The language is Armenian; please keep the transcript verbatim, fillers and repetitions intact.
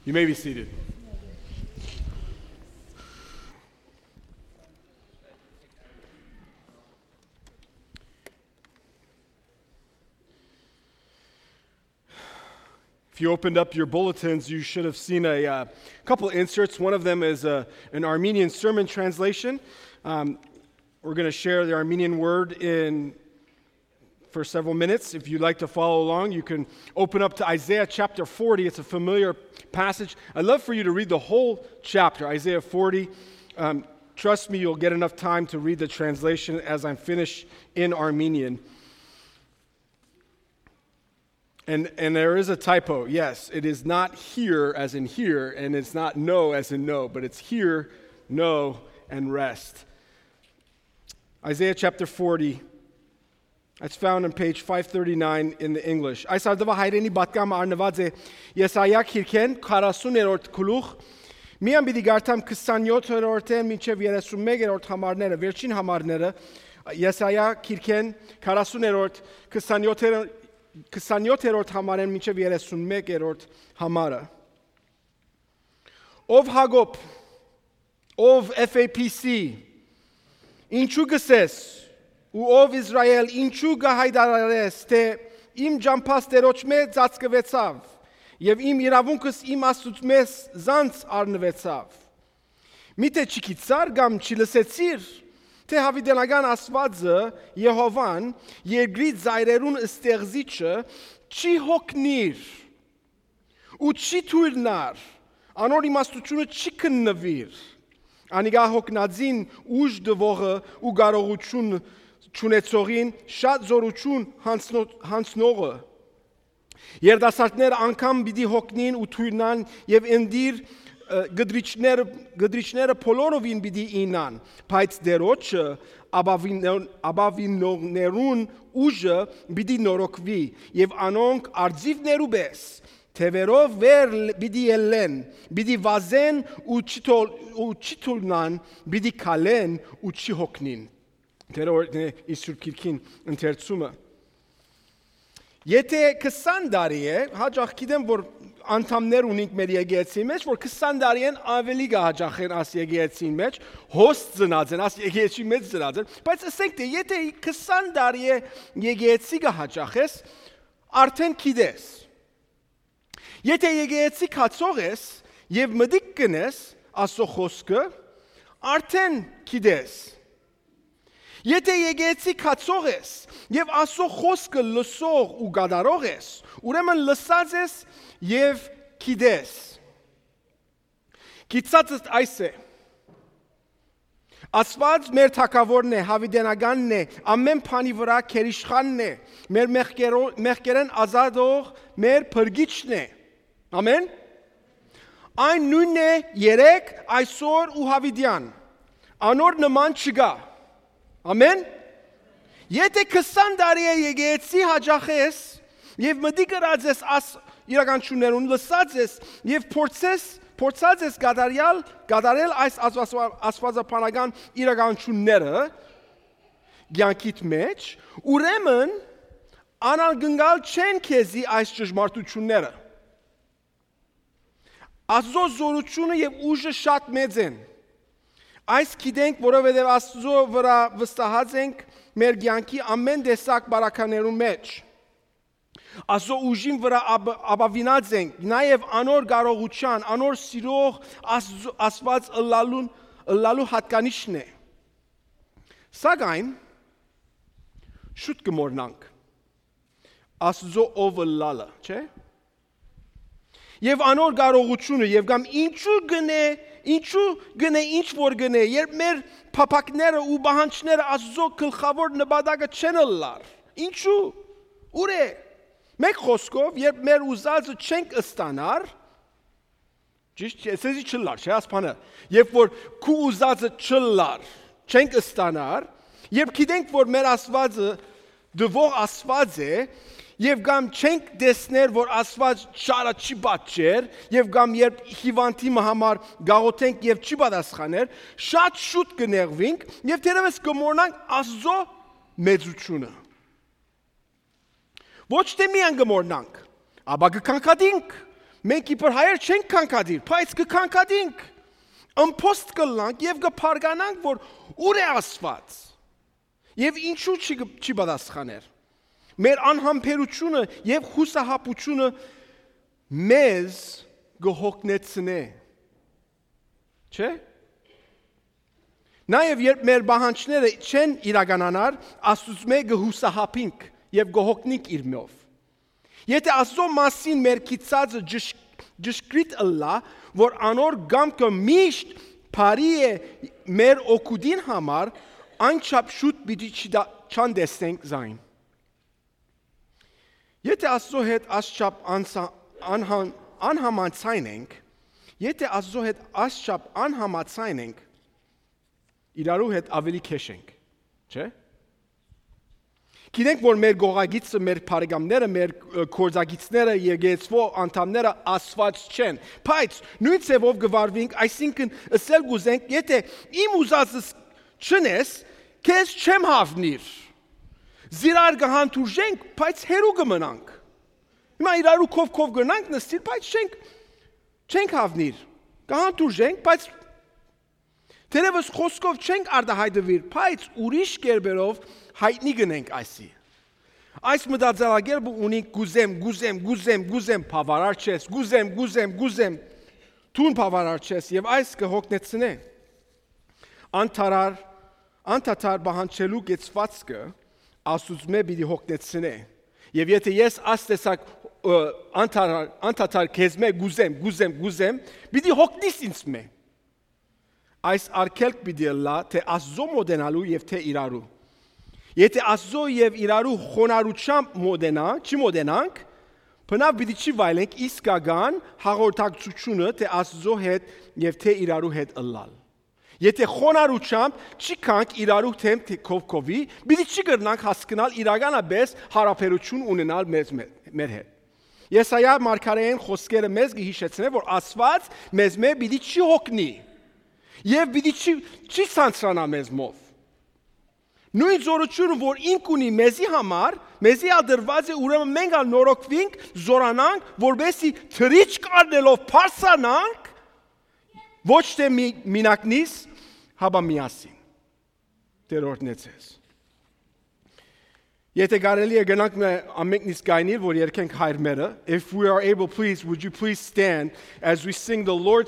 You may be seated. If you opened up your bulletins, you should have seen a uh, couple inserts. One of them is a, an Armenian sermon translation. Um, we're going to share the Armenian word in for several minutes. If you'd like to follow along, you can open up to Isaiah chapter forty. It's a familiar passage. I'd love for you to read the whole chapter, Isaiah forty. Um, trust me, you'll get enough time to read the translation as I'm finished in Armenian. And and there is a typo. Yes, it is not here as in here, and it's not no as in no, but it's here, no, and rest. Isaiah chapter forty. It's found on page five thirty-nine in the English. Այս արդվա հայրենի բատկամ արնված է Եսայա քիրքեն քառասուներորդ գլուխ միան պիտի գարտամ քսանյոթերորդը մինչև երեսունմեկերորդ համարները վերջին համարները Եսայա քիրքեն քառասուներորդ քսանյոթերորդ քսանյոթերորդ համարեն մինչև երեսունմեկերորդ համարը Ով Հակոբ ով F A P C ինչու գսես ու ով Իսրայել ինչու գահայդարարես թե իմ ջամփաստերոջ մեջ ծածկվեցավ եւ իմ իրավունքս իմ աստուծմես զանց առնվեցավ Միթե չկիցար կամ չլսեցիր թե հավիտենական Աստվածը Եհովան երկրի ծայրերուն ստեղծիչը չի հոգնիր ու չի թույլնար անոր իմաստությունը չի քննվիր անիգա հոգնածին ուժ դվողը ու կարողություն չունեցողին շատ զորություն հանցնողը երդասարտներ անգամ պիտի հոգնին ու թույլնան եւ ընդիր գդրիչները գդրիչները բոլորովին պիտի ինան բայց դերոջը աբավիններուն ուժը պիտի նորոգվի եւ անոնք արձիվներու պես թևերով վեր պիտի ելեն պիտի վազեն ու չթոլնան պիտի քալեն ու չհոգնին դերոջն է Իսուր քիրքին ընթերցումը Եթե քսան տարի է հաջող գիտեմ որ անդամներ ունենք մեր եկեղեցի մեջ, որ քսան տարի են ավելի գահաջախեն աս եկեղեցին մեջ, հոստ ծնած են, աս եկեղեցի մեջ ծնած են, բայց ասենք թե եթե քսան տարի է եկեղեցի գահաջախես, արդեն գիտես։ Եթե եկեղեցի կացող ես եւ մտիկ կնես Աստծո խոսքը, արդեն գիտես։ Եթե եկեղեցի կացող ես եւ Աստծո խոսքը լսող ու գադարող ես, ուրեմն լսած ես եւ գիտես։ Գիտածը այս է։ Աստված մեր թակավորն է, հավիտենականն է, ամեն բանի վրա քերիշխանն է, մեր մեղքերեն ազատող, մեր փրկիչն է։ Ամեն։ Այն նույնն է երեք, այսօր ու հավիտյան։ Անոր նման չկա։ Ամեն։ Եթե քսան տարի է եկեղեցի հաջախես եւ մտի գրած ես աս իրականություններուն լսած ես եւ փորձես փորձած ես գադարյալ գադարել այս աստվածապանական իրականությունները ցանկիտ մեջ ուրեմն անարգնգալ չեն քեզի այս ճշմարտությունները Աստծո զորությունը եւ ուժը շատ մեծ են Այս գիտենք, որովհետև Աստծո վրա վստահած ենք մեր կյանքի ամեն տեսակ բարականերուն մեջ։ Աստծո ուժին վրա ապավինած ենք, նաև անոր կարողության, անոր սիրող Աստված ըլլալուն ըլլալու հատկանիշն է։ Սակայն շուտ կմոռնանք Աստծո ով ըլլալը, չէ՞։ Եվ անոր կարողությունը եւ կամ ինչու գնե Ինչու գնե ինչ որ գնե երբ մեր փապակները ու բանջները Աստծո գլխավոր նպատակը չեն լար Ինչու ուր է Մեկ խոսքով երբ մեր ուզածը չենք ստանար ճիշտ է ասեցի չլար չէ ասփանը երբ որ քու ուզածը չլար չենք ստանար երբ գիտենք որ մեր Աստվածը դվող Աստված է Եվ կամ չենք տեսներ, որ Աստված շարը չի պատճեր, եւ կամ երբ հիվանդի համար գաղութենք եւ չի պատասխաներ, շատ շուտ կներվենք եւ դերևս կմոռնանք Աստծո մեծությունը։ Ոչ թե միայն կմոռնանք, ապա կքնքադինք Մենք իբր հայեր չենք կանկադիր, բայց կկանկադինք։ Ըմփոստ կլանք եւ կփարգանանք, որ ուր է Աստված։ Եվ ինչու չի չի պատասխաներ։ Մեր անհամբերությունը եւ հուսահապությունը մեզ գողնեցնե։ Չէ՞։ Նաեւ երբ մեր բանջները չեն իրականանար, Աստծո գհուսահապինք եւ գողնիկ իրմով։ Եթե Աստծո մասին մեր քիծածը ճշգրիտ ըլլա, որ անոր գամքը միշտ բարի է մեր օգուտին համար, անչափ շուտ պիտի չանդեսնենք զայն։ Եթե Աստծո հետ ասչափ անհամացայն ենք, եթե Աստծո հետ ասչափ անհամացայն ենք, իրարու հետ ավելի քեշ ենք, չէ՞։ Գիտենք, որ մեր գողագիծը, մեր բարեկամները, մեր կորձագիծները, եկեղեցվո անդամները Աստված չեն, բայց նույն ձևով գվարվենք, այսինքն ասել գուզենք, եթե իմ ուզածս չնես, քեզ չեմ հավնիր։ Զիրար կհանդուրժենք, բայց հերու կմնանք։ Հիմա իրարու քով-քով գնանք նստիր, բայց չենք չենք հավնիր։ Կհանդուրժենք, բայց թերևս խոսքով չենք արդահայտվիր, բայց ուրիշ կերպերով հայտնի գնենք այսի։ Այս մտածելակերպը ունի գուզեմ, գուզեմ, գուզեմ, գուզեմ, բավարար չես, գուզեմ, գուզեմ, գուզեմ, թուն բավարար չես եւ այս կհոգնեցնե։ Անթարար, անթաթար բանջելու գեցվածքը Աստծո պիտի հոգնեցնե։ Եվ եթե ես աստեսակ անթարար, անթաթար քեզ մե գուզեմ, գուզեմ, գուզեմ, պիտի հոգնիս ինձ մե։ Այս արկելք պիտի լա թե Աստծո մոդենալու եւ թե իրարու։ Եթե Աստծո եւ իրարու խոնարհությամբ մոդենա, չի մոդենանք, բնավ պիտի չի վայելենք իսկական հաղորդակցությունը թե Աստծո հետ եւ թե իրարու հետ ըլլալ։ Եթե խոնարհությամբ չի կանք իրարու թեմ թե կովկովի, պիտի չի կրնանք հասկանալ իրականապես հարաբերություն ունենալ մեզ մեր հետ։ Եսայա մարգարեին խոսքերը մեզ կհիշեցնեն, որ Աստված մեզ մե պիտի չի հոգնի։ Եվ պիտի չի չի ցանցրանա մեզ մով։ Նույն զորությունը, որ ինք ունի մեզի համար, մեզի ադրված է, ուրեմն մենք ալ նորոգվենք, զորանանք, որբեսի թրիչք առնելով փարսանանք, ոչ թե մինակնից, հաբա միասին։ Տերորդնեցես։ Եթե կարելի է գնանք ամենքնից գայնիր, որ երկենք հայր մերը, if we are able, please, would you please stand as we sing the Lord's